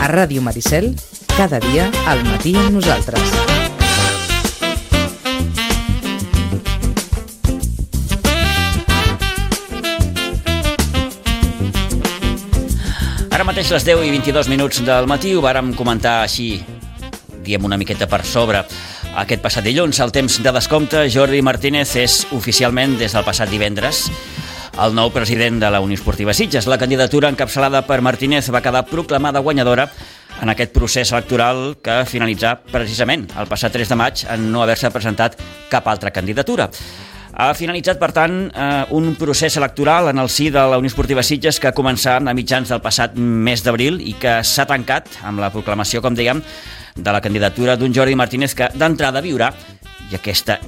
A Ràdio Maricel, cada dia al matí amb nosaltres. Ara mateix les 10 i 22 minuts del matí ho vàrem comentar així, diem una miqueta per sobre. Aquest passat dilluns, al temps de descompte, Jordi Martínez és oficialment, des del passat divendres, el nou president de la Unió Esportiva Sitges. La candidatura encapçalada per Martínez va quedar proclamada guanyadora en aquest procés electoral que finalitzà precisament el passat 3 de maig en no haver-se presentat cap altra candidatura. Ha finalitzat, per tant, un procés electoral en el si de la Unió Esportiva Sitges que començà a mitjans del passat mes d'abril i que s'ha tancat amb la proclamació, com dèiem, de la candidatura d'un Jordi Martínez que d'entrada viurà, i aquesta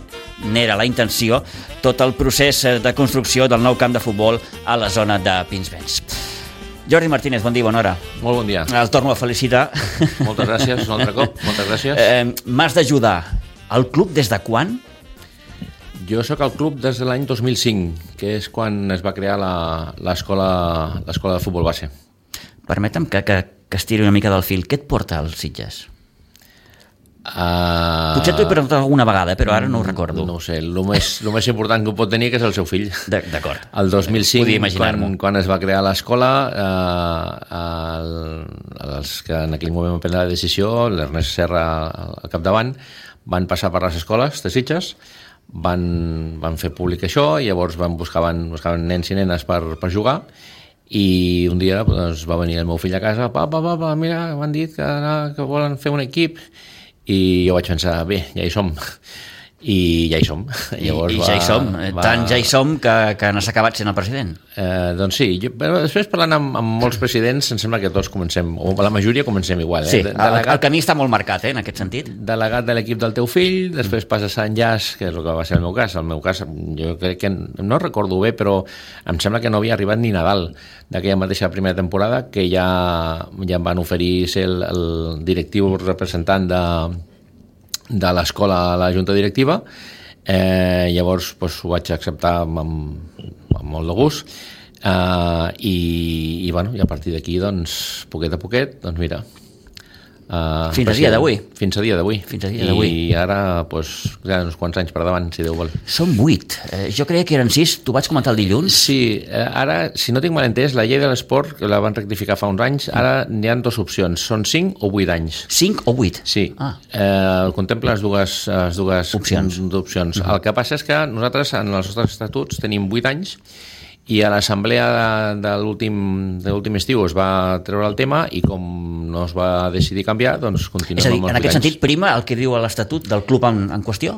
n'era la intenció, tot el procés de construcció del nou camp de futbol a la zona de Pinsbens. Jordi Martínez, bon dia, bona hora. Molt bon dia. El torno a felicitar. Moltes gràcies, un altre cop. Moltes gràcies. M'has d'ajudar. El club des de quan? Jo sóc al club des de l'any 2005, que és quan es va crear l'escola de futbol base. Permetem que estiri una mica del fil. Què et porta als Sitges? Potser t'ho he preguntat alguna vegada, però ara no ho recordo. No ho sé, el més important que ho pot tenir que és el seu fill. D'acord. El 2005, quan es va crear l'escola, els que en aquell moment van prendre la decisió, l'Ernest Serra al capdavant, van passar per les escoles de Sitges, van fer públic això, i llavors buscaven nens i nenes per jugar, i un dia doncs, va venir el meu fill a casa, papa, mira, m'han dit que volen fer un equip, i jo vaig pensar, bé, ja hi som. I ja hi som. Llavors ja hi som. Tant ja hi som que n'has acabat sent el president. Doncs sí. Però després, parlant amb molts presidents, em sembla que tots comencem, o la majoria comencem igual. Sí, el camí està molt marcat, en aquest sentit. Delegat de l'equip del teu fill, després passes a enllaç, que és el que va ser el meu cas. El meu cas, jo crec que, no recordo bé, però em sembla que no havia arribat ni Nadal d'aquella mateixa primera temporada, que ja em van oferir ser el directiu representant de l'escola a la junta directiva. Llavors ho vaig acceptar amb molt de gust, i a partir d'aquí, doncs, poquet a poquet, doncs mira, fins a dia d'avui. Fins a dia d'avui. I ara, hi ha uns quants anys per davant, si Déu vol. Són 8. Jo creia que eren 6. T'ho vaig comentar el dilluns. Sí, ara, si no tinc mal entès, la llei de l'esport, que la van rectificar fa uns anys, ara n'hi ha 2 opcions. Són 5 o 8 anys. 5 o 8? Sí. Contempla les dues opcions. El que passa és que nosaltres, en els nostres estatuts, tenim 8 anys, i a l'assemblea de l'últim estiu es va treure el tema, i com no es va decidir canviar, doncs continuem amb els 8 anys. És a dir, en aquest sentit prima el que diu a l'estatut del club en qüestió?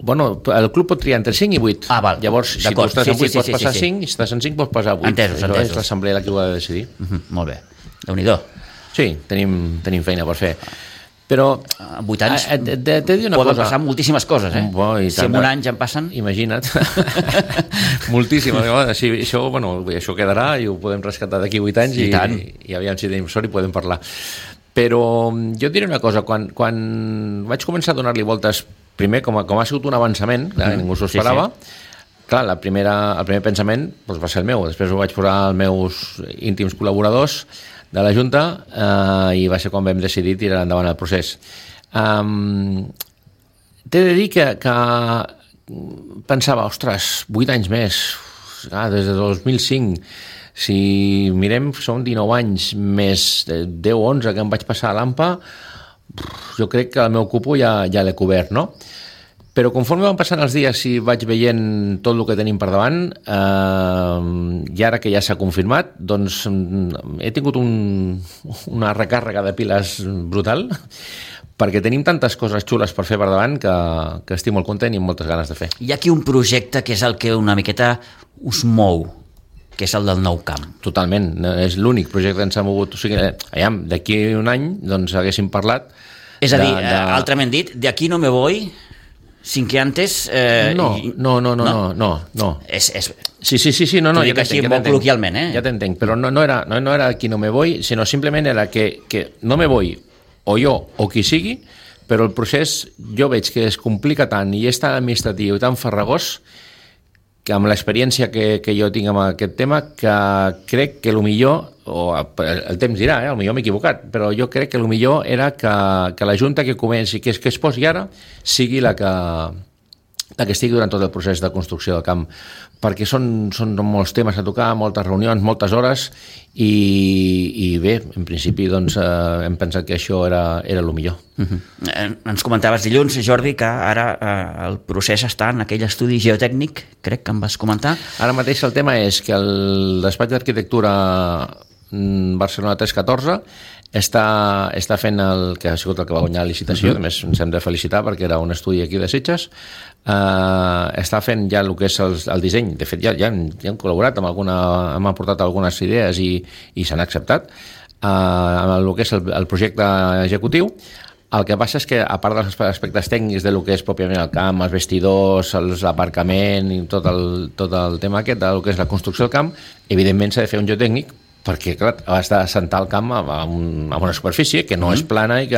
Bueno, el club pot triar entre 5 i 8. Val. Llavors, si tu estàs en 8 pots passar 5, i si estàs en 5 pots passar 8. Entesos. És l'assemblea la que ho ha de decidir. Molt bé. Déu-n'hi-do. Sí, tenim feina per fer. Però 8 anys t'he de dir una poden cosa. Passar moltíssimes coses, Si en un any ja en passen... Imagina't. Moltíssimes. Això quedarà i ho podem rescatar d'aquí 8 anys, i aviam si tenim sort i podem parlar. Però jo et diré una cosa. Quan vaig començar a donar-li voltes, primer, com ha sigut un avançament, ningú s'ho esperava, clar, el primer pensament va ser el meu. Després ho vaig posar als meus íntims col·laboradors de la Junta, i va ser quan vam decidir tirar endavant el procés. T'he de dir que pensava, ostres, 8 anys més, des de 2005, si mirem, són 19 anys més 10 o 11 que em vaig passar a l'AMPA, jo crec que el meu cupo ja l'he cobert, no? Però conforme van passant els dies i vaig veient tot el que tenim per davant, i ara que ja s'ha confirmat, doncs he tingut una recàrrega de piles brutal, perquè tenim tantes coses xules per fer per davant que estic molt content i amb moltes ganes de fer. Hi ha aquí un projecte que és el que una miqueta us mou, que és el del nou camp. Totalment, és l'únic projecte que ens ha mogut. O sigui, d'aquí un any doncs haguéssim parlat... És a dir, altrament dit, de aquí no me voy... sin que antes... No. Sí, no. T'ho dic així molt col·loquialment, Ja t'entenc, però no era aquí no me voy, sinó simplement era que no me voy, o jo, o qui sigui, però el procés jo veig que es complica tant i és tan administratiu i tan farragós que amb l'experiència que jo tinc amb aquest tema, que crec que el millor, o el temps dirà, el millor m'he equivocat, però jo crec que el millor era que la Junta que comenci, que es posi ara, sigui la que estigui durant tot el procés de construcció del camp, perquè són molts temes a tocar, moltes reunions, moltes hores, i bé, en principi doncs, hem pensat que això era el millor. Ens comentaves dilluns, Jordi, que ara el procés està en aquell estudi geotècnic, crec que em vas comentar. Ara mateix el tema és que el despatx d'arquitectura Barcelona 314 està fent el que ha sigut el que va guanyar la licitació, a més ens hem de felicitar perquè era un estudi aquí de Sitges, està fent ja el que és el disseny, de fet ja hem col·laborat hem aportat algunes idees i s'han acceptat amb el que és el projecte executiu. El que passa és que, a part dels aspectes tècnics del que és pròpiament el camp, els vestidors, l'aparcament i tot el tema aquest del que és la construcció del camp, evidentment s'ha de fer un geotècnic perquè, clar, has d'assentar el camp a una superfície que no és plana i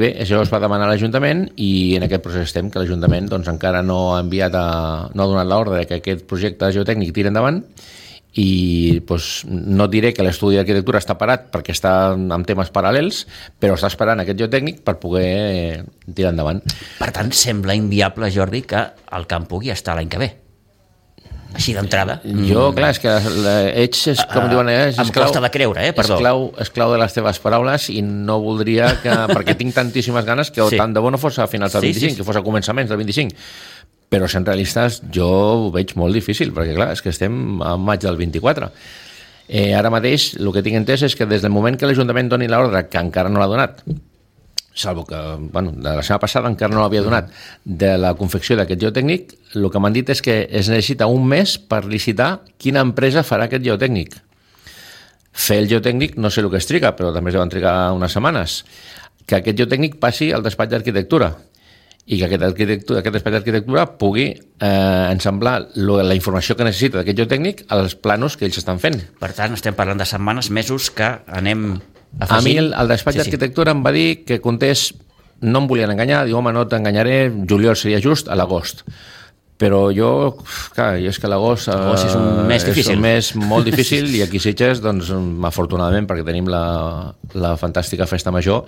bé, això es va demanar a l'Ajuntament i en aquest procés estem, que l'Ajuntament doncs, encara no ha donat l'ordre que aquest projecte geotècnic tiri endavant i doncs, no diré que l'estudi d'arquitectura està parat perquè està amb temes paral·lels, però està esperant aquest geotècnic per poder tirar endavant. Per tant, sembla inviable, Jordi, que el camp pugui estar l'any que ve. Així d'entrada. Jo, clar, és que ets, com diuen, em costa de creure, perdó. És clau de les teves paraules i no voldria que, perquè tinc tantíssimes ganes que tant de bo no fos a finals del 25, que fos a començaments del 25. Però sent realistes jo ho veig molt difícil, perquè clar, és que estem a maig del 24. Ara mateix el que tinc entès és que des del moment que l'Ajuntament doni l'ordre, que encara no l'ha donat, salvo que, de la setmana passada encara no l'havia donat, de la confecció d'aquest geotècnic, el que m'han dit és que es necessita un mes per licitar quina empresa farà aquest geotècnic. Fer el geotècnic no sé el que es triga, però també es deuen trigar unes setmanes. Que aquest geotècnic passi al despatx d'arquitectura i que aquest despatx d'arquitectura pugui ensamblar la informació que necessita d'aquest geotècnic als planos que ells estan fent. Per tant, estem parlant de setmanes, mesos que anem afegint. A mi el despatx d'arquitectura em va dir que comptés, no em volien enganyar, diu, home, no t'enganyaré, juliol seria just a l'agost. Però jo, clar, és que l'agost és un mes difícil. És un mes molt difícil i aquí a Sitges, doncs, afortunadament, perquè tenim la fantàstica festa major,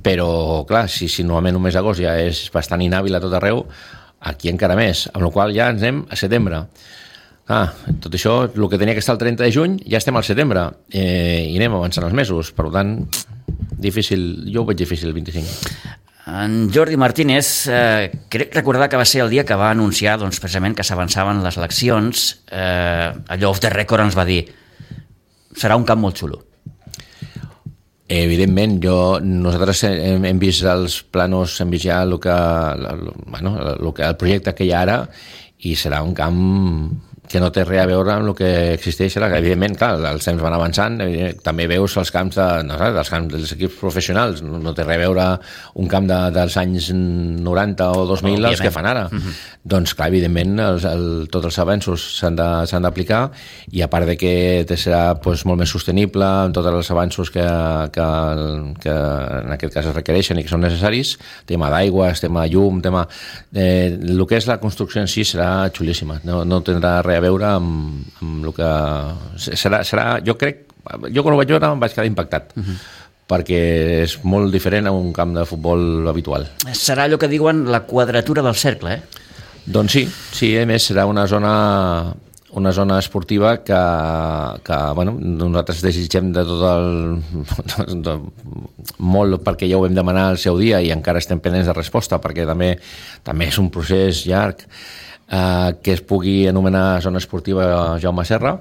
però, clar, si normalment un mes d'agost ja és bastant inhàbil a tot arreu, aquí encara més, amb la qual cosa ja ens anem a setembre. Tot això, el que tenia que estar el 30 de juny, ja estem al setembre i anem avançant els mesos, per tant, difícil, jo ho veig difícil el 25. En Jordi Martínez, crec recordar que va ser el dia que va anunciar doncs, precisament que s'avançaven les eleccions, allò off the record ens va dir serà un camp molt xulo. Evidentment, nosaltres hem vist els planos, hem vist ja el projecte que hi ha ara i serà un camp que no té res a veure amb el que existeix ara. Evidentment, clar, els temps van avançant, també veus els camps dels equips professionals, no té res a veure un camp dels anys 90 o 2000 els que fan ara. Doncs, clar, evidentment, tots els avanços s'han d'aplicar i a part de que serà molt més sostenible amb tots els avanços que en aquest cas es requereixen i que són necessaris, tema d'aigües, tema llum, el que és la construcció en si serà xulíssima, no tindrà res a veure amb el que serà, jo quan ho vaig veure em vaig quedar impactat perquè és molt diferent a un camp de futbol habitual. Serà allò que diuen la quadratura del cercle, Doncs sí, a més serà una zona esportiva que nosaltres desitgem de tot molt perquè ja ho vam demanar al seu dia i encara estem pendents de resposta perquè també és un procés llarg que es pugui anomenar zona esportiva Jaume Serra,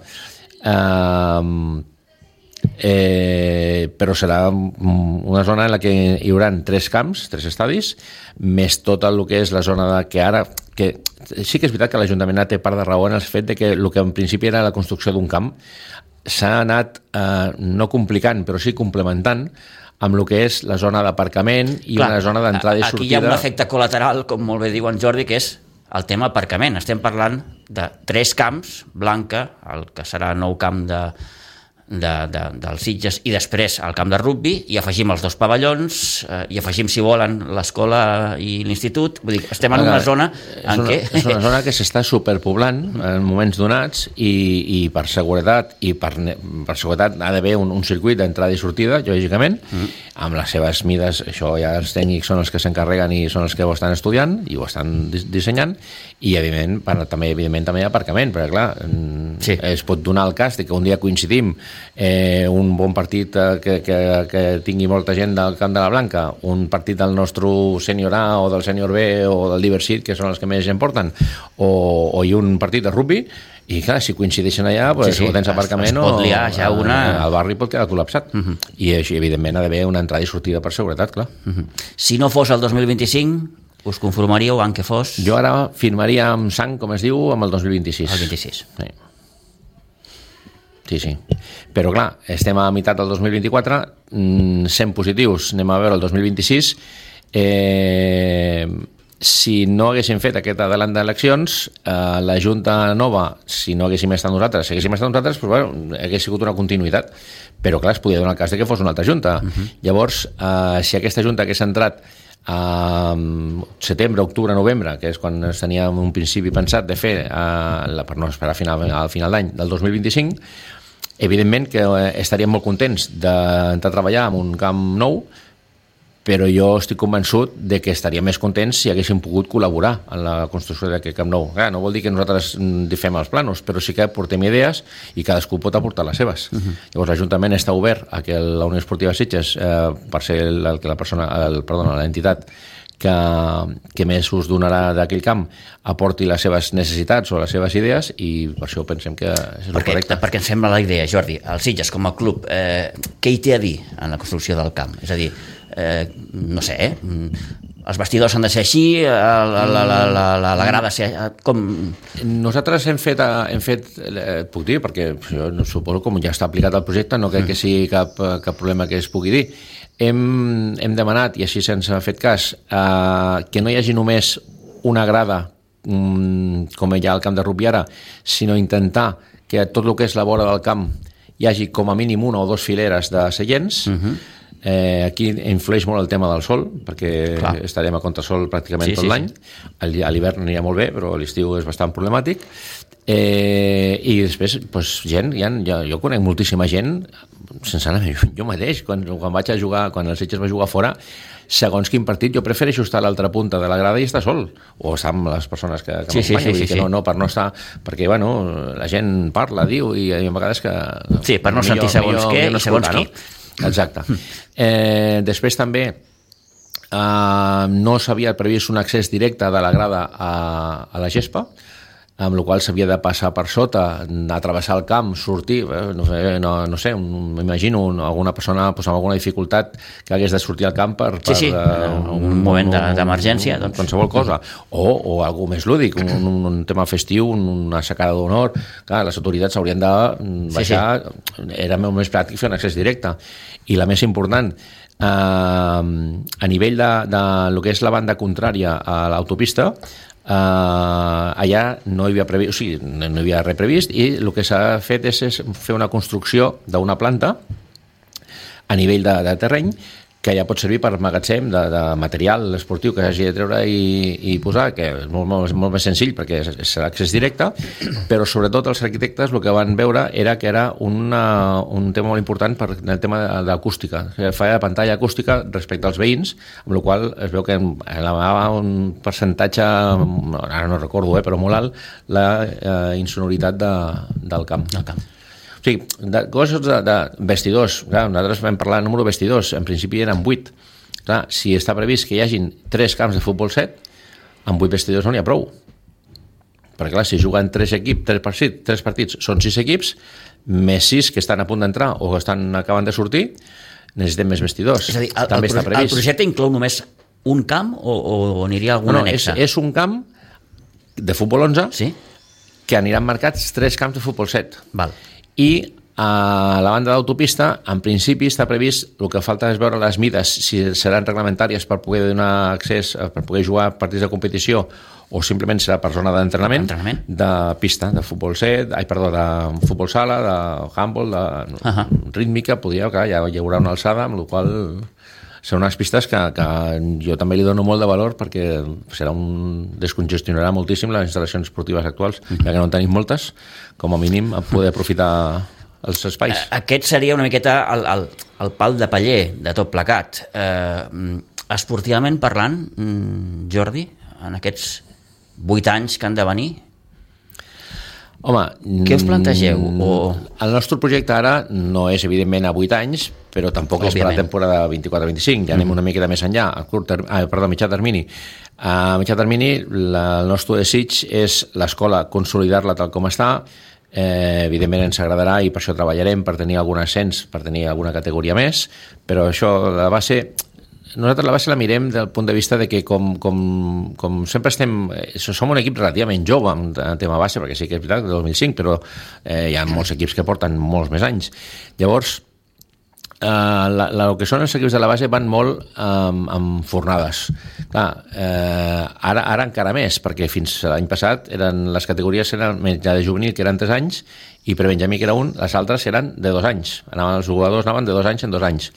però serà una zona en la que hi haurà 3 camps, 3 estadis, més tot el que és la zona que ara, que sí que és veritat que l'Ajuntament té part de raó en el fet de que el que en principi era la construcció d'un camp s'ha anat no complicant, però sí complementant amb el que és la zona d'aparcament i una zona d'entrada i sortida. Aquí hi ha un efecte col·lateral, com molt bé diu en Jordi, que és el tema aparcament. Estem parlant de 3 camps, Blanca, el que serà nou camp dels Sitges i després al camp de rugbi, i afegim els 2 pavellons, i afegim, si volen, l'escola i l'institut. Vull dir, estem en una zona en què... És una zona que s'està superpoblant en moments donats i per seguretat seguretat ha d'haver un circuit d'entrada i sortida, lògicament, amb les seves mides. Això ja els tècnics són els que s'encarreguen i són els que ho estan estudiant i ho estan dissenyant, i evidentment també hi ha aparcament, perquè clar, es pot donar el cas de que un dia coincidim un bon partit que tingui molta gent del Camp de la Blanca, un partit del nostre sènior A o del sènior B o del Diversit, que són els que més gent porten, o un partit de rugbi, i clar, si coincideixen allà, o tens aparcament o el barri pot quedar col·lapsat. I així, evidentment, ha d'haver una entrada i sortida per seguretat, clar. Si no fos el 2025, us conformaríeu en què fos? Jo ara firmaria amb sang, com es diu, amb el 2026. El 26. Sí. Però clar, estem a meitat del 2024, sent positius, anem a veure el 2026. Si no haguéssim fet aquest adelant d'eleccions, la Junta nova, si no haguéssim estat nosaltres, doncs, bueno, hagués sigut una continuïtat. Però clar, es podia donar el cas de que fos una altra Junta. Llavors, si aquesta Junta hagués entrat a setembre, octubre, novembre, que és quan es tenia un principi pensat de fer per no esperar al final d'any del 2025, evidentment que estaríem molt contents d'entrar a treballar en un camp nou, però jo estic convençut de que estaríem més contents si haguéssim pogut col·laborar en la construcció d'aquest camp nou. Clar, no vol dir que nosaltres fem els planos, però sí que portem idees i cadascú pot aportar les seves. Llavors l'Ajuntament està obert a que la Unió Esportiva Sitges, per ser l'entitat que més us donarà d'aquell camp, aporti les seves necessitats o les seves idees, i per això pensem que és el correcte. Perquè ens sembla la idea, Jordi, el Sitges com a club, què hi té a dir en la construcció del camp? És a dir, no sé, els vestidors han de ser així, la grada ser com... Nosaltres hem fet, puc dir, perquè jo suposo com ja està aplicat el projecte, no crec que sigui cap problema que es pugui dir. Hem demanat, i així se'ns ha fet cas, que no hi hagi només una grada com hi ha al camp de rugbi ara, sinó intentar que tot el que és la vora del camp hi hagi com a mínim 1 o 2 fileres de seients. Aquí influeix molt el tema del sol, perquè estarem a contrasol pràcticament tot l'any. A l'hivern anirà molt bé, però a l'estiu és bastant problemàtic. I després, gent, jo conec moltíssima gent, sense anar jo mateix, quan vaig a jugar, quan el Sitges va jugar fora, segons quin partit, jo prefereixo estar a l'altra punta de la grada i estar sol, o estar amb les persones que m'acompanyen, no, per no estar, perquè la gent parla, diu, i a vegades que... Sí, per no sentir segons què i segons qui. Exacte. Després també no s'havia previst un accés directe de la grada a la gespa, amb la qual s'havia de passar per sota, anar a travessar el camp, sortir, no sé, m'imagino alguna persona amb alguna dificultat que hagués de sortir al camp per un moment d'emergència, doncs. Qualsevol cosa, o algú més lúdic, un tema festiu, una aixecada d'honor. Clar, les autoritats haurien de baixar, era molt més pràctic fer un accés directe. I la més important, a nivell de lo que és la banda contrària a l'autopista, allà no hi havia previst, no hi havia res previst, i el que s'ha fet és fer una construcció d'una planta a nivell de terreny que ja pot servir per magatzem de material esportiu que s'hagi de treure i posar, que és molt més senzill perquè serà accés directe, però sobretot els arquitectes el que van veure era que era un tema molt important per el tema d'acústica, que fa pantalla acústica respecte als veïns, amb la qual es veu que elevava un percentatge, ara no recordo, però molt alt, la insonoritat del camp. O sigui, coses de vestidors. Clar, nosaltres vam parlar del número de vestidors. En principi eren 8. Clar, si està previst que hi hagin 3 camps de futbol 7, amb 8 vestidors no n'hi ha prou. Perquè clar, si juguen 3 partits, són 6 equips, més 6 que estan a punt d'entrar o estan acabant de sortir, necessitem més vestidors. És a dir, el projecte inclou només un camp o aniria alguna anexa? És un camp de futbol 11 que aniran marcats 3 camps de futbol 7. Val. I A la banda d'autopista, en principi està previst, el que falta és veure les mides, si seran reglamentàries per poder donar accés, per poder jugar partits de competició, o simplement serà per zona d'entrenament, de pista, de futbol set, de futbol sala, de handball, de rítmica, clar, ja hi haurà una alçada, amb la qual són unes pistes que jo també li dono molt de valor perquè descongestionarà moltíssim les instal·lacions esportives actuals, ja que no en tenim moltes, com a mínim a poder aprofitar els espais. Aquest seria una miqueta el pal de paller de tot plegat. Esportivament parlant, Jordi, en aquests 8 anys que han de venir, home, què us plantegeu? El nostre projecte ara no és evidentment a 8 anys, però tampoc és per la temporada 24-25, ja anem una miqueta més enllà, a mitjà termini. A mitjà termini el nostre desig és l'escola consolidar-la tal com està. Evidentment ens agradarà i per això treballarem per tenir algun ascens, per tenir alguna categoria més, però això, nosaltres la base la mirem del punt de vista de que com sempre som un equip relativament jove en tema base, perquè sí que és veritat, del 2005, però hi ha molts equips que porten molts més anys. Llavors, el que són els equips de la base van molt amb fornades. Clar, ara encara més, perquè fins l'any passat les categories eren ja de juvenil, que eren 3 anys, i per Benjamí, que era un, les altres eren de 2 anys. Els jugadors anaven de 2 anys en 2 anys.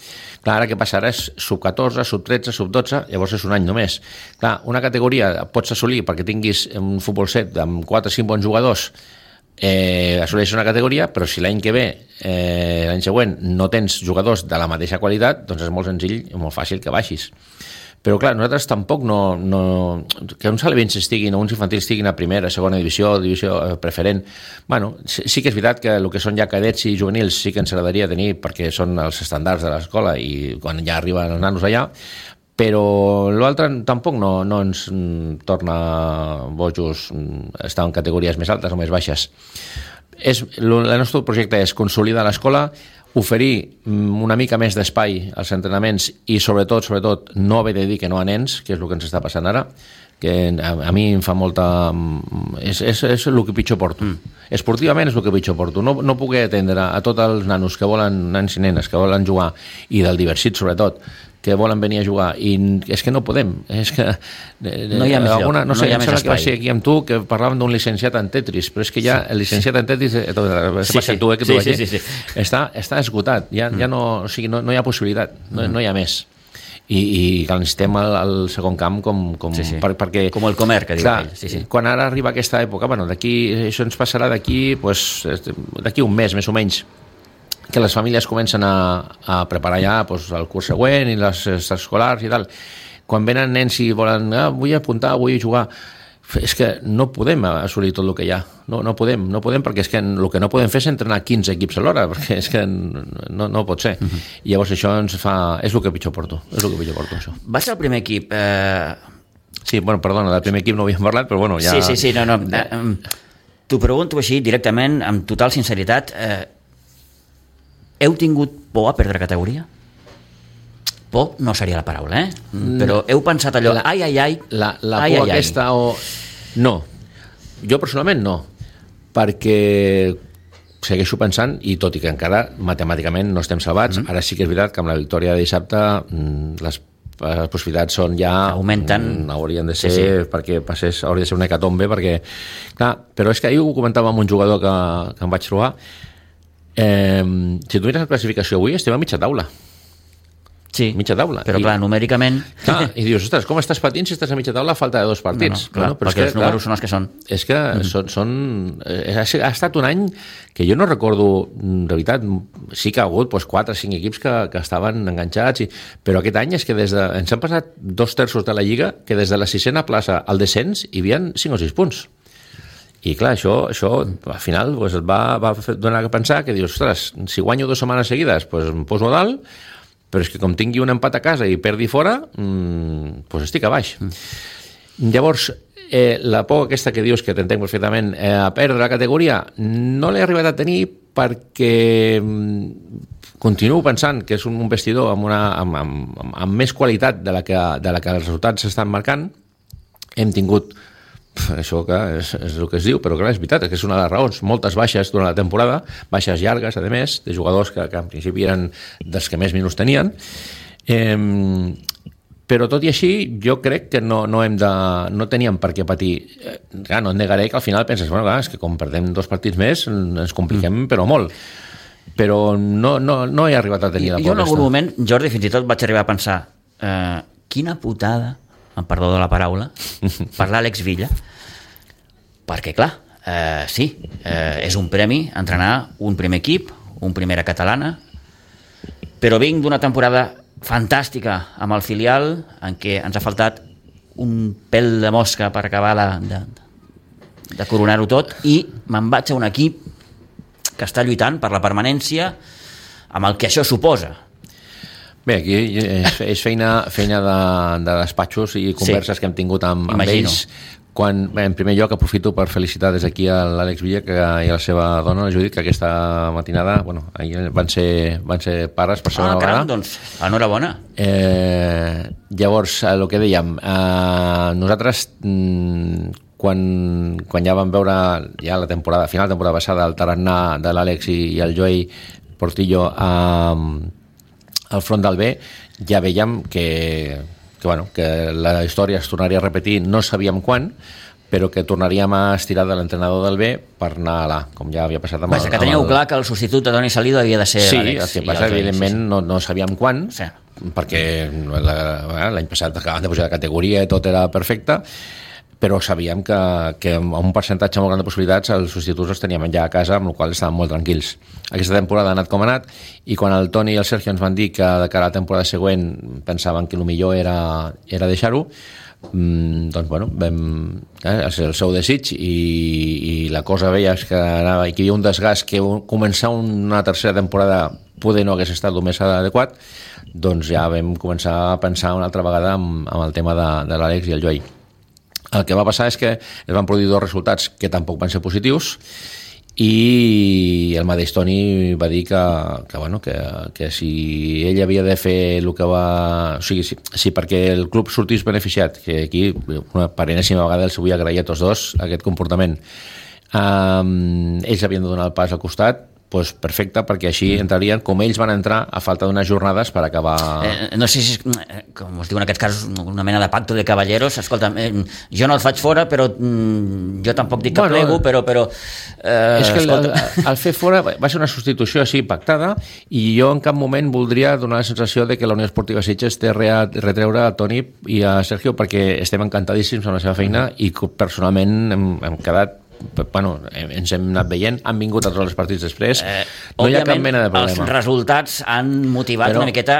Clar, ara què passa? Ara és sub-14, sub-13, sub-12, llavors és un any només. Clar, una categoria pots assolir perquè tinguis un futbol set amb 4 o 5 bons jugadors, assoleix una categoria, però si l'any que ve, l'any següent, no tens jugadors de la mateixa qualitat, doncs és molt senzill i molt fàcil que baixis. Però clar, nosaltres tampoc que uns alevins estiguin o uns infantils estiguin a primera, segona divisió preferent. Bueno, sí que és veritat que el que són ja cadets i juvenils sí que ens agradaria tenir perquè són els estàndards de l'escola i quan ja arriben els nanos allà, però l'altre tampoc no ens torna bojos estar en categories més altes o més baixes. El nostre projecte és consolidar l'escola, oferir una mica més d'espai als entrenaments i sobretot no haver de dir que no a nens, que és el que ens està passant ara, que a mi em fa molta... És el que pitjor porto. Esportivament és el que pitjor porto. No puc atendre a tots els nanos que volen, nens i nenes que volen jugar, i del diversit sobretot, que volen venir a jugar, i és que no podem, és que no hi ha més lloc, no hi ha més espai. Que va ser aquí amb tu que parlàvem d'un licenciat en Tetris, però és que ja el licenciat en Tetris està esgotat, ja no, o sigui, no hi ha possibilitat, no hi ha més. I que necessitem el segon camp perquè... Com el Comer, que diu ell. Quan ara arriba aquesta època, això ens passarà d'aquí un mes, més o menys, que les famílies comencen a preparar ja el curs següent i les escolars i tal. Quan venen nens i volen, vull apuntar, vull jugar, és que no podem assolir tot el que hi ha. No podem perquè és que el que no podem fer és entrenar 15 equips alhora, perquè és que no pot ser. I llavors això ens fa... És el que pitjor porto, això. Va ser el primer equip... Sí, perdona, del primer equip no havíem parlat, però bueno, ja... Sí, no. T'ho pregunto així directament, amb total sinceritat... Heu tingut por a perdre categoria? Por no seria la paraula, però heu pensat allò, ai. La por aquesta o... No, jo personalment no, perquè segueixo pensant, i tot i que encara matemàticament no estem salvats, ara sí que és veritat que amb la victòria de dissabte les possibilitats són ja... Augmenten. Haurien de ser, perquè hauria de ser una hecatombe, perquè... Clar, però és que ahir ho comentava amb un jugador que em vaig trobar. Si tu mires la classificació avui, estem a mitja taula. Sí, mitja taula. Però clar, numèricament... Clar, i dius, ostres, com estàs patint si estàs a mitja taula a falta de 2 partits? Clar, perquè els números són els que són. És que ha estat un any que jo no recordo, de veritat, sí que ha hagut 4 o 5 equips que estaven enganxats, però aquest any és que ens han passat 2/3 de la Lliga que des de la 6a plaça al descens hi havia 5 o 6 punts. I clar, això al final et va donar a pensar que dius, ostres, si guanyo 2 setmanes seguides em poso a dalt, però és que com tingui un empat a casa i perdi fora, estic a baix. Llavors, la por aquesta que dius, que t'entenc perfectament, a perdre la categoria, no l'he arribat a tenir perquè continuo pensant que és un vestidor amb més qualitat de la que els resultats s'estan marcant. Hem tingut Això és el que es diu, però clar, és veritat, que és una de les raons. Moltes baixes durant la temporada, baixes llargues, a més, de jugadors que en principi eren dels que més minuts tenien. Però tot i així, jo crec que no teníem per què patir. Clar, no et negaré que al final penses, bueno, clar, és que com perdem 2 partits més, ens compliquem, però molt. Però no he arribat a tenir la por. Jo en algun moment, Jordi, fins i tot vaig arribar a pensar quina putada, amb perdó de la paraula, per l'Àlex Villa, perquè, clar, sí, és un premi entrenar un primer equip, un primera catalana, però vinc d'una temporada fantàstica amb el filial, en què ens ha faltat un pèl de mosca per acabar de coronar-ho tot, i me'n vaig a un equip que està lluitant per la permanència amb el que això suposa. Bé, aquí és feina de despatxos i converses que hem tingut amb ells. En primer lloc aprofito per felicitar des d'aquí a l'Àlex Villa i a la seva dona, la Judit, que aquesta matinada ahir van ser pares per segona vegada. Caram, doncs, enhorabona. Llavors, el que dèiem, nosaltres quan ja vam veure ja la temporada, final de la temporada passada, el tarannà de l'Àlex i el Joey Portillo al front del B, ja veiem que la història es tornaria a repetir, no sabíem quan, però que tornaríem a estirar de l'entrenador del B per anar a l'A, com ja havia passat amb que teníeu clar que el substitut de Toni Salido havia de ser l'Àlex. Sí, el que passa, evidentment, no sabíem quan, perquè l'any passat acabaven de pujar de categoria i tot era perfecte, però sabíem que amb un percentatge molt gran de possibilitats els substituts els teníem ja a casa, amb la qual estàvem molt tranquils. Aquesta temporada ha anat com ha anat, i quan el Toni i el Sergio ens van dir que de cara a la temporada següent pensaven que el millor era deixar-ho, doncs bueno, és el seu desig, i la cosa veies que anava, i que hi havia un desgast, que començar una tercera temporada poder no hagués estat el més adequat, doncs ja vam començar a pensar una altra vegada amb el tema de l'Àlex i el Joey. El que va passar és que es van produir 2 resultats que tampoc van ser positius, i el mateix Toni va dir que si ell havia de fer el que va... O sigui, si perquè el club sortís beneficiat, que aquí per enèsima vegada els vull agrair a tots dos aquest comportament, ells havien de donar el pas al costat, doncs perfecte, perquè així entrarien com ells van entrar a falta d'unes jornades per acabar... No sé si, com es diu en aquest cas, una mena de pacto de caballeros. Escolta, jo no el faig fora, però jo tampoc dic que plego, però és que el fer fora va ser una substitució així pactada, i jo en cap moment voldria donar la sensació de que la Unió Esportiva Sitges té retreure a Toni i a Sergio, perquè estem encantadíssims amb la seva feina, i personalment hem quedat, ens hem anat veient, han vingut a tots els partits després, no hi ha cap mena de problema. Els resultats han motivat una miqueta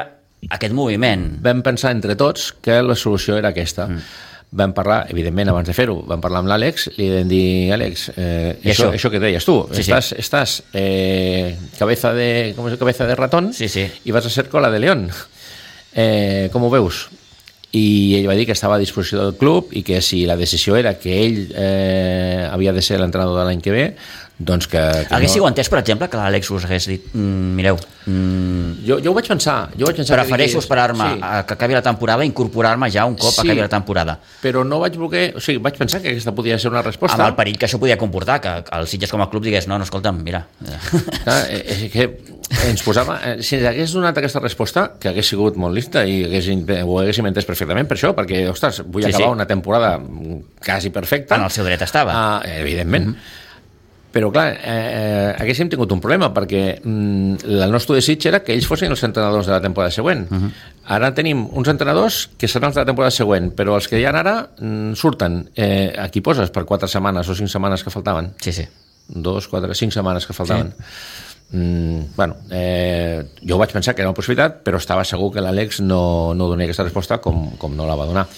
aquest moviment. Vam pensar entre tots que la solució era aquesta. Vam parlar, evidentment, abans de fer-ho, vam parlar amb l'Àlex, li vam dir, Àlex, això que deies tu, estàs cabeza de ratón, i vas a ser cola de león. Com ho veus? I ell va dir que estava a disposició del club, i que si la decisió era que ell havia de ser l'entrenador de l'any que ve, doncs que haguéssiu entès, per exemple, que l'Àlex us hagués dit mireu, jo ho vaig pensar, prefereixo esperar-me a que acabi la temporada i incorporar-me ja un cop acabi la temporada, però no vaig voler, o sigui, vaig pensar que aquesta podia ser una resposta, amb el perill que això podia comportar, que el Sitges com a club digués no, escolta'm, mira, és que ens posava, si hagués donat aquesta resposta, que hagués sigut molt lista i ho haguéssim entès perfectament per això, perquè, ostres, vull acabar una temporada quasi perfecta, en el seu dret estava, evidentment. Però clar, haguéssim tingut un problema, perquè el nostre desig era que ells fossin els entrenadors de la temporada següent. Ara tenim uns entrenadors que seran els de la temporada següent, però els que hi ha ara surten, aquí poses per 4 setmanes o 5 setmanes que faltaven. 2, 4, 5 setmanes que faltaven. Jo vaig pensar que era una possibilitat, però estava segur que l'Àlex no donaria aquesta resposta com no la va donar.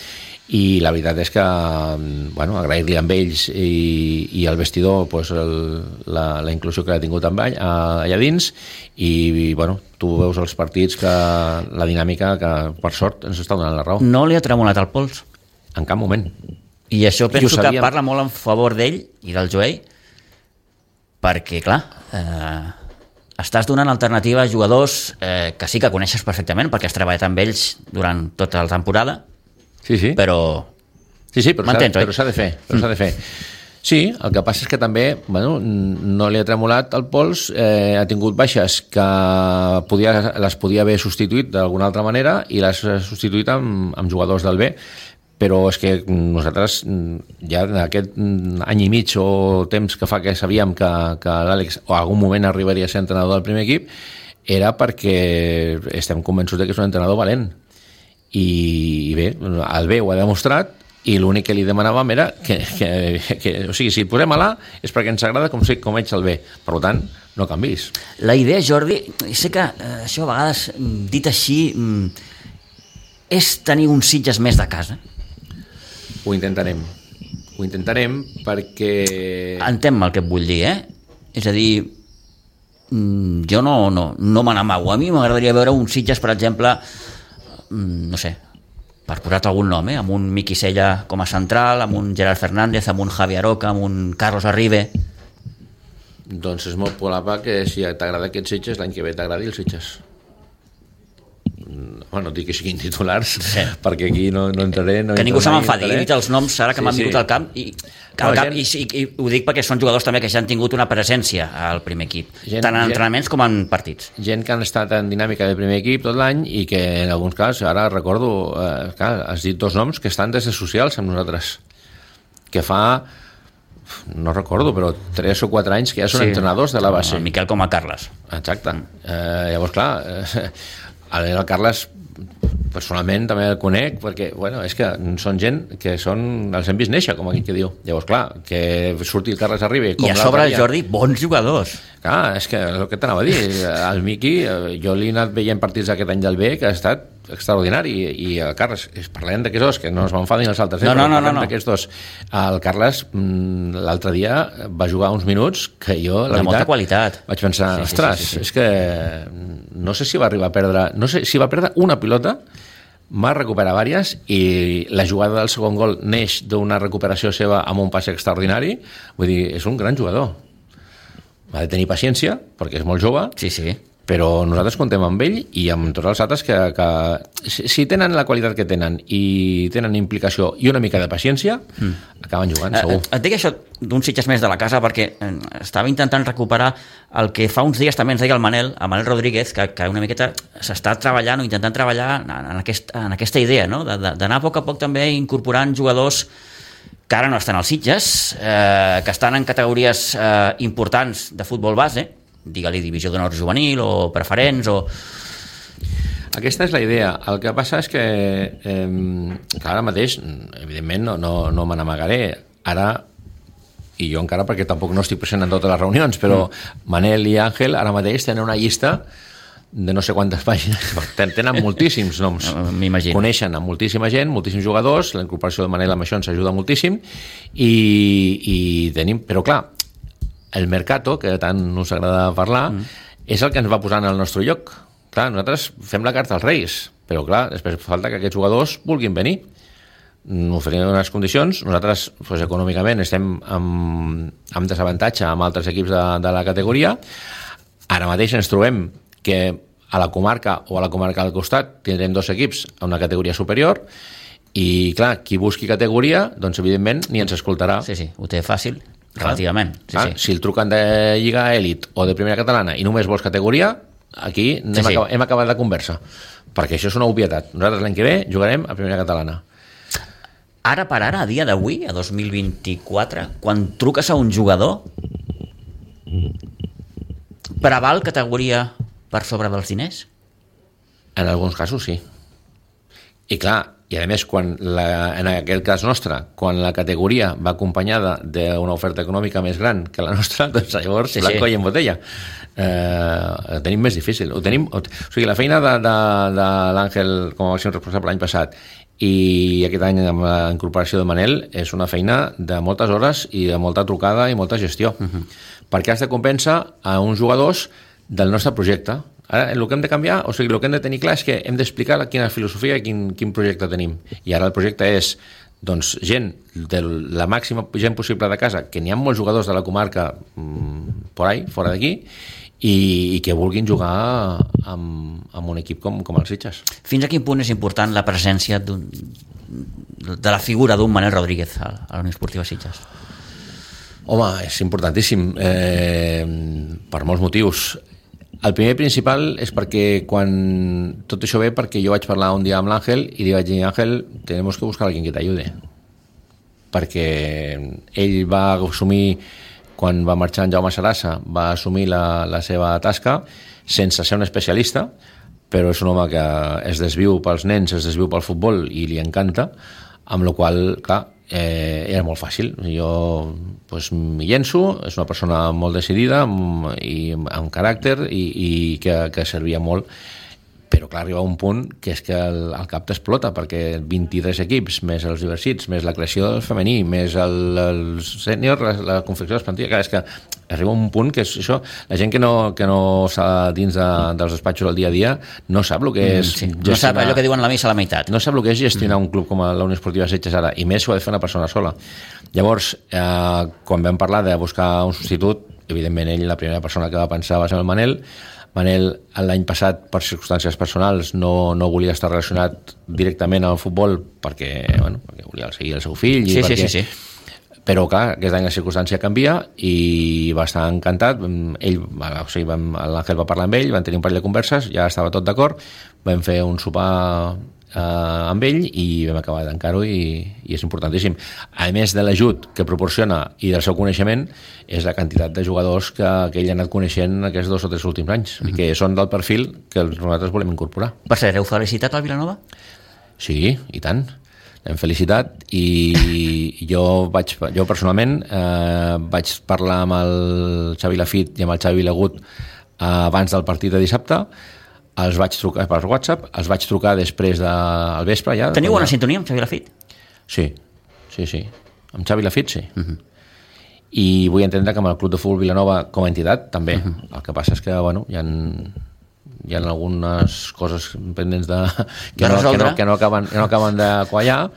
I la veritat és que agrair-li amb ells i al vestidor la inclusió que ha tingut allà dins, i tu veus els partits, que la dinàmica que per sort ens està donant la raó. No li ha tremolat el pols? En cap moment. I això penso que parla molt en favor d'ell i del Joey, perquè clar, estàs donant alternativa a jugadors que sí que coneixes perfectament, perquè has treballat amb ells durant tota la temporada, però Sí, però s'ha de fer. Sí, el que passa és que també no li ha tremolat el pols, ha tingut baixes que les podia haver substituït d'alguna altra manera i les ha substituït amb jugadors del B, però és que nosaltres ja en aquest any i mig o temps que fa que sabíem que l'Àlex o algun moment arribaria a ser entrenador del primer equip era perquè estem convençuts que és un entrenador valent i bé, el B ho ha demostrat i l'únic que li demanàvem era que o sigui, si el posem a l'A és perquè ens agrada com ets el B. Per tant, no canvis. La idea, Jordi, sé que això a vegades, dit així, és tenir uns Sitges més de casa. Ho intentarem perquè... Entén-me el que et vull dir, És a dir, jo no me n'amago. A mi m'agradaria veure un Sitges, per exemple, no sé, per posar-te algun nom, amb un Miqui Sella com a central, amb un Gerard Fernández, amb un Javi Aroca, amb un Carlos Arribe. Doncs és molt probable que si t'agrada aquest Sitges, l'any que ve t'agradi el Sitges. No dic que siguin titulars, perquè aquí no entraré... Que ningú se m'enfadi, he dit els noms ara que m'han vingut al camp, i ho dic perquè són jugadors també que ja han tingut una presència al primer equip, tant en entrenaments com en partits. Gent que han estat en dinàmica del primer equip tot l'any i que en alguns casos, ara recordo, has dit dos noms que estan des de socials amb nosaltres, que fa... no recordo, però 3 o 4 anys que ja són entrenadors de la base. El Miquel com a Carles. Exacte. Llavors, clar, el Carles personalment també el conec perquè, és que són gent que els hem vist néixer, com aquí que diu. Llavors, clar, que surti el Carles Arriba... I a sobre, Jordi, bons jugadors. Clar, és que és el que t'anava a dir. El Miqui, jo l'he anat veient partits aquest any del B que ha estat extraordinari, i el Carles, parlem d'aquests dos, que no es m'enfadin els altres, parlem d'aquests dos. El Carles l'altre dia va jugar uns minuts que jo, la veritat, molta qualitat. Vaig pensar, ostres, és que no sé si va arribar a perdre, no sé si va perdre una pilota, va recuperar diverses, i la jugada del segon gol neix d'una recuperació seva amb un pas extraordinari. Vull dir, és un gran jugador. Ha de tenir paciència, perquè és molt jove, però nosaltres contem amb ell i amb tots els altres que si tenen la qualitat que tenen i tenen implicació i una mica de paciència, acaben jugant, segur. Et dic això d'un Sitges més de la casa perquè estava intentant recuperar el que fa uns dies també ens deia el Manel Rodríguez, que una miqueta s'està treballant o intentant treballar en aquesta idea, no? D'anar a poc també incorporant jugadors que ara no estan als Sitges, que estan en categories importants de futbol base, digue-li divisió d'honor juvenil o preferents o... Aquesta és la idea. El que passa és que ara mateix, evidentment, no me n'amagaré. Ara, i jo encara perquè tampoc no estic present en totes les reunions, però Manel i Àngel ara mateix tenen una llista de no sé quantes pàgines, tenen moltíssims noms, coneixen a moltíssima gent, moltíssims jugadors, la incorporació de Manel amb això ens ajuda moltíssim, i tenim, però clar, el mercato, que tant us agrada parlar, és el que ens va posant al nostre lloc. Clar, nosaltres fem la carta als Reis, però clar, després falta que aquests jugadors vulguin venir. Oferim unes condicions, nosaltres econòmicament estem amb desavantatge amb altres equips de la categoria. Ara mateix ens trobem que a la comarca o a la comarca del costat tindrem 2 equips a una categoria superior, i clar, qui busqui categoria, doncs evidentment ni ens escoltarà. Sí, ho té fàcil. Relativament. Si el truquen de Lliga Elit o de Primera Catalana i només vols categoria, aquí hem acabat la conversa, perquè això és una obvietat. Nosaltres l'any que ve jugarem a Primera Catalana. Ara per ara, a dia d'avui, a 2024, quan truques a un jugador, preval categoria per sobre dels diners? En alguns casos sí. I clar, i a més, en aquest cas nostre, quan la categoria va acompanyada d'una oferta econòmica més gran que la nostra, doncs llavors blanco i en botella. Ho tenim més difícil. O sigui, la feina de l'Àngel com a màxim responsable l'any passat i aquest any amb la incorporació de Manel és una feina de moltes hores i de molta trucada i molta gestió, perquè has de compensar a uns jugadors del nostre projecte. Ara, el que hem de canviar, o sigui, el que hem de tenir clar és que hem d'explicar quina filosofia i quin projecte tenim. I ara el projecte és, doncs, gent de la màxima gent possible de casa, que n'hi ha molts jugadors de la comarca por ahí, fora d'aquí, i que vulguin jugar amb un equip com el Sitges. Fins a quin punt és important la presència de la figura d'un Manel Rodríguez a la Unió Esportiva Sitges? Home, és importantíssim per molts motius. El primer principal és perquè tot això ve perquè jo vaig parlar un dia amb l'Àngel i li vaig dir, Àngel, tenemos que buscar alguien que t'ayude, perquè ell va assumir, quan va marxar en Jaume Sarassa, va assumir la seva tasca sense ser un especialista, però és un home que es desviu pels nens, es desviu pel futbol i li encanta, amb la qual cosa, clar, era molt fàcil. Jo m'hi llenço, és una persona molt decidida i amb caràcter i que servia molt, però clar, arriba un punt que és que el cap t'explota, perquè 23 equips, més els diversits, més la creació del femení, més el sènior, la confecció de les plantilles, clar, és que arriba un punt que és això, la gent que no està dins dels despatxos del dia a dia no sap el que és no sap allò que diuen la missa a la meitat, no sap el que és gestionar un club com la Unió Esportiva Sitges ara, i més ho ha de fer una persona sola. Llavors, quan vam parlar de buscar un substitut, evidentment ell, la primera persona que va pensar va ser el Manel. L'any passat, per circumstàncies personals, no volia estar relacionat directament al futbol perquè volia seguir el seu fill. Sí. Però, clar, aquest any la circumstància canvia i va estar encantat. L'Àngel va parlar amb ell, van tenir un parell de converses, ja estava tot d'acord, vam fer un sopar amb ell i vam acabar d'encar-ho i és importantíssim. A més de l'ajut que proporciona i del seu coneixement, és la quantitat de jugadors que ell ha anat coneixent aquests 2 o 3 últims anys, i que són del perfil que nosaltres volem incorporar. Per cert, heu felicitat al Vilanova? Sí, i tant. L'hem felicitat i jo personalment vaig parlar amb el Xavi Lafit i amb el Xavi Vilagut abans del partit de dissabte. Els vaig trucar per WhatsApp, els vaig trucar després del vespre. Ja, teniu bona sintonia amb Xavi Lafit? Sí. Amb Xavi Lafit, sí. I vull entendre que amb el Club de Futbol Vilanova com a entitat també. El que passa és que hi ha algunes coses pendents que no acaben de quallar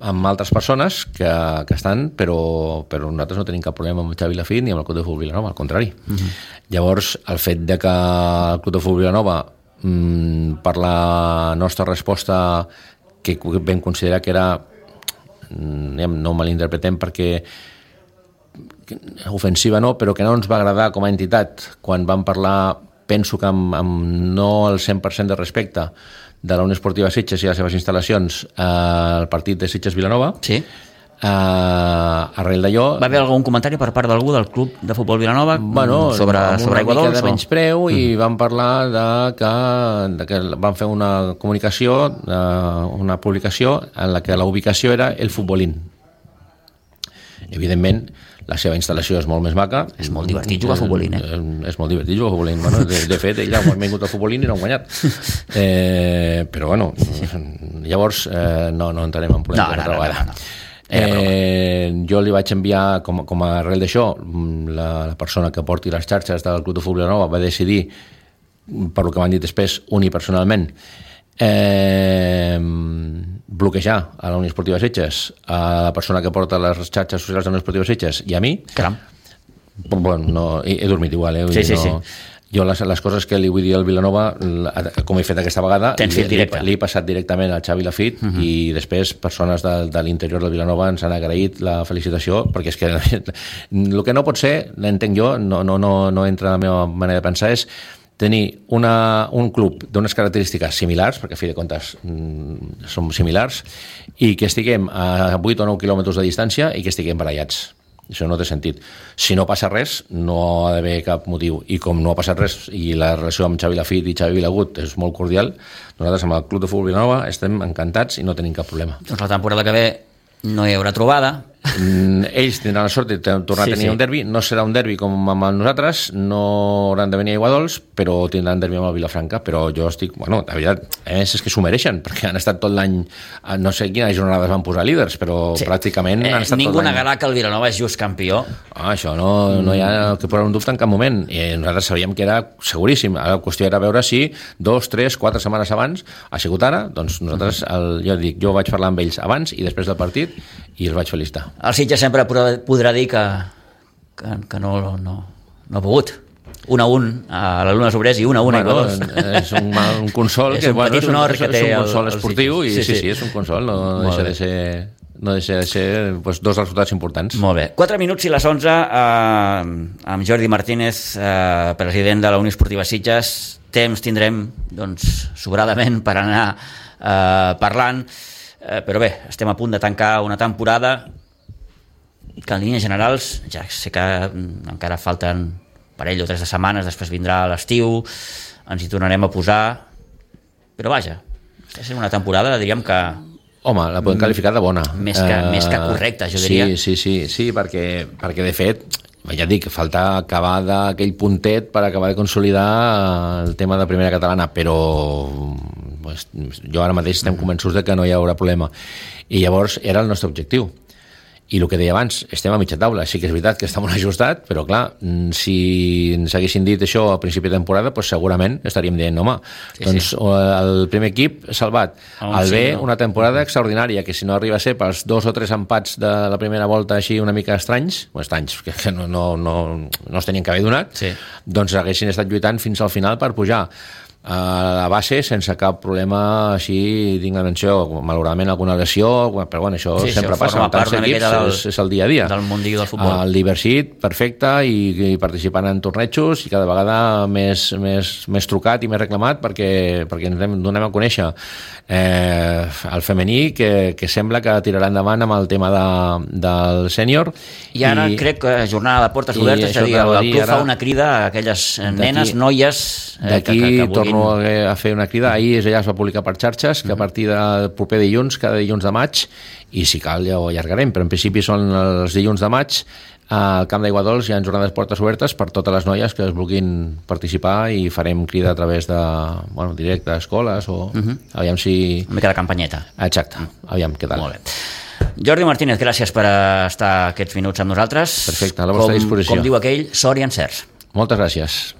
amb altres persones que estan, però nosaltres no tenim cap problema amb Xavi Lafit ni amb el Club de Futbol Vilanova, al contrari. Llavors, el fet de que el Club de Futbol Vilanova, per la nostra resposta, que vam considerar que era, no malinterpretem perquè ofensiva no, però que no ens va agradar com a entitat quan vam parlar, penso que amb no el 100% de respecte de la Unió Esportiva Sitges i les seves instal·lacions al partit de Sitges-Vilanova. Sí. Arrel d'allò... Va haver algun comentari per part d'algú del Club de Futbol Vilanova sobre Aigua Dols? De menyspreu, i vam parlar de que van fer una comunicació, una publicació en la que la ubicació era el Futbolín. Evidentment, la seva instal·lació és molt més maca. És molt divertit jugar a Futbolín, És molt divertit jugar a Futbolín. De fet, ell ha vingut a Futbolín i no ha guanyat. Però, llavors no entrarem en problemes. No. Jo li vaig enviar, com a arrel d'això, la persona que porti les xarxes del Club de Futbol Vilanova va decidir, per lo que m'han dit després, unipersonalment, bloquejar a la Unió Esportiva Sitges, a la persona que porta les xarxes socials de la Unió Esportiva Sitges i a mi. Caram. He dormit igual, Sí. Jo les coses que li vull dir al Vilanova, com he fet aquesta vegada, li he passat directament al Xavi Lafit, i després persones de l'interior del Vilanova ens han agraït la felicitació, perquè és que el que no pot ser, l'entenc jo, no entra en la meva manera de pensar, és tenir un club d'unes característiques similars, perquè a fi de comptes som similars, i que estiguem a 8 o 9 quilòmetres de distància i que estiguem barallats. Això no té sentit. Si no passa res, no ha d'haver cap motiu. I com no ha passat res i la relació amb Xavi Lafit i Xavi Vilagut és molt cordial, nosaltres amb el Club de Futbol Vilanova estem encantats i no tenim cap problema. Doncs la temporada que ve no hi haurà trobada. Ells tindran la sort de tornar a tenir un derbi. No serà un derbi com amb nosaltres, no hauran de venir a Aigua Dols, però tindran derbi amb el Vilafranca. Però jo estic, la veritat, és que s'ho mereixen, perquè han estat tot l'any, no sé quines jornades van posar líders, però pràcticament han estat tot l'any. Ningú negarà que el Vilanova és just campió. Això no hi ha que posar un dubte en cap moment. I nosaltres sabíem que era seguríssim. La qüestió era veure si 2, 3, 4 setmanes abans ha sigut ara. Doncs nosaltres, jo vaig parlar amb ells abans i després del partit i els vaig felicitar. El Sitges sempre podrà dir que no ha pogut. 1-1 a l'Alumnes Obrers i 1-1 a Iguadols. És un consol és un petit honor que té un consol esportiu i sí, és un consol, no deixa de ser doncs, dos resultats importants. Molt bé. 4 minuts i les 11 amb Jordi Martínez, president de la Unió Esportiva Sitges. Temps tindrem doncs, sobradament per anar parlant, però bé, estem a punt de tancar una temporada que en línies generals, ja sé que encara falten parell o 3 de setmanes, després vindrà l'estiu, ens hi tornarem a posar, però vaja, està sent una temporada, diríem que... Home, la podem qualificar de bona. Més que correcta, jo diria. Sí, perquè de fet, ja dic, falta acabar d'aquell puntet per acabar de consolidar el tema de primera catalana, però pues, jo ara mateix estem convençuts de que no hi haurà problema. I llavors era el nostre objectiu. I el que deia abans, estem a mitja taula. Sí que és veritat que està molt ajustat, però clar, si ens haguessin dit això a principi de temporada, doncs segurament estaríem dient, home, doncs el primer equip salvat. El B, una temporada extraordinària, que si no arriba a ser pels 2 o 3 empats de la primera volta així una mica estranys, que no es tenien que haver donat, doncs haguessin estat lluitant fins al final per pujar a la base sense cap problema així tinc la menció, malauradament alguna lesió, però bueno, això sempre passa en tants equips, és el dia a dia del mundillo del futbol. El Diversit, perfecte, i participant en tornejos i cada vegada més trucat i més reclamat perquè ens donem a conèixer el femení que sembla que tirarà endavant amb el tema del sènior. I ara crec que jornada de portes obertes, és a dir, el club fa una crida a aquelles nenes, noies d'aquí torno a fer una crida. Ahir ja es va publicar per xarxes que a partir del proper dilluns, cada dilluns de maig, i si cal ja ho allargarem, però en principi són els dilluns de maig, al Camp d'Aiguadols hi ha jornades portes obertes per totes les noies que es vulguin participar i farem crida a través de directe a escoles o aviam si... Una mica de campanyeta. Exacte, aviam què tal. Molt bé. Jordi Martínez, gràcies per estar aquests minuts amb nosaltres. Perfecte, a la vostra disposició. Com diu aquell, sort i encerts. Moltes gràcies.